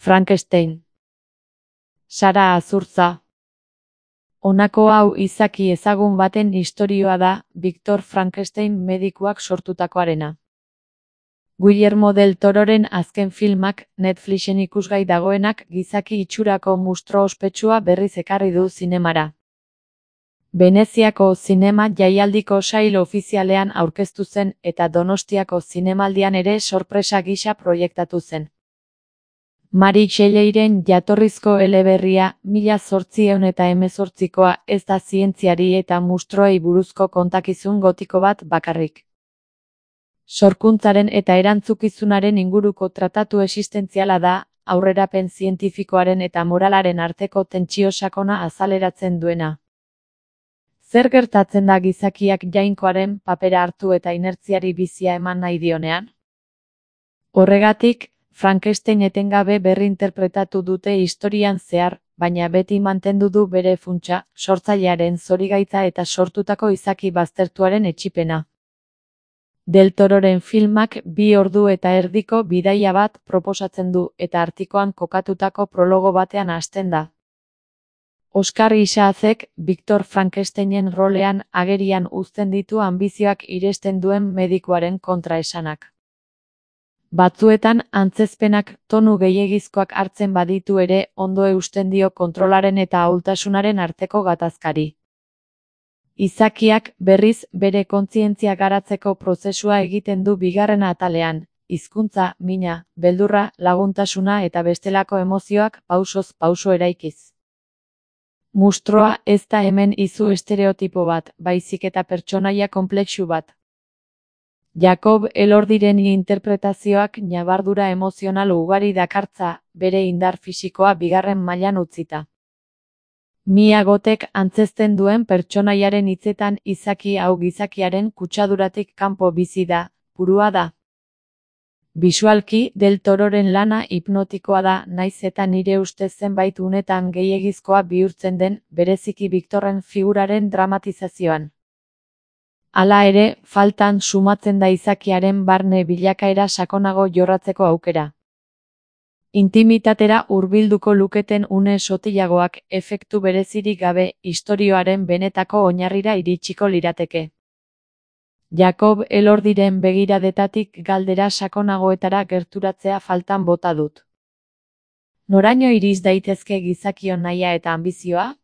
Frankenstein. Sara Azurtza. Honako hau izaki ezagun baten istorioa da, Victor Frankenstein medikuak sortutakoarena. Guillermo del Tororen azken filmak, Netflixen ikusgai dagoenak gizaki itxurako mustro ospetsua berriz ekarri du zinemara. Veneziako zinema jaialdiko sail ofizialean aurkeztu zen eta Donostiako zinemaldian ere sorpresa gisa proiektatu zen. Mari Shelleiren jatorrizko eleberria 1818koa ez da zientziari eta mustroei buruzko kontakizun gotiko bat bakarrik. Sorkuntzaren eta erantzukizunaren inguruko tratatu existentziala da, aurrerapen zientifikoaren eta moralaren arteko tentsio sakona azaleratzen duena. Zer gertatzen da gizakiak jainkoaren papera hartu eta inertziari bizia eman nahi dionean? Horregatik, Frankenstein etengabe berrinterpretatu dute historian zehar, baina beti mantendu du bere funtsa, sortzailearen zorigaitza eta sortutako izaki baztertuaren etsipena. Del Tororen filmak 2 ordu eta erdiko bidaia bat proposatzen du eta artikoan kokatutako prologo batean hasten da. Oscar Isaacek Victor Frankensteinen rolean agerian uzten ditu anbizioak iresten duen medikuaren kontraesanak. Batzuetan antzezpenak tonu gehiegizkoak hartzen baditu ere ondo eusten dio kontrolaren eta ahultasunaren arteko gatazkari. Izakiak berriz bere kontzientzia garatzeko prozesua egiten du bigarren atalean, hizkuntza, mina, beldurra, laguntasuna eta bestelako emozioak pausoz pauso eraikiz. Mustroa ez da hemen izu estereotipo bat, baizik eta pertsonaia konplexu bat. Jakob Elordiren interpretazioak ñabardura emozional ugari dakartza, bere indar fisikoa bigarren mailan utzita. Mia Gothek antzezten duen pertsonaiaren hitzetan izaki hau gizakiaren kutsaduratik kanpo bizi da, burua da. Bisualki, Del Tororen lana hipnotikoa da, naiz eta nire ustez zenbait unetan gehiegizkoa bihurtzen den, bereziki Victorren figuraren dramatizazioan. Hala ere, faltan sumatzen da izakiaren barne bilakaera sakonago jorratzeko aukera. Intimitatera hurbilduko luketen une sotilagoak efektu berezirik gabe istorioaren benetako oinarrira iritsiko lirateke. Jakob Elordiren begiradetatik galdera sakonagoetara gerturatzea faltan bota dut. Noraino iriz daitezke gizakion nahia eta anbizioa?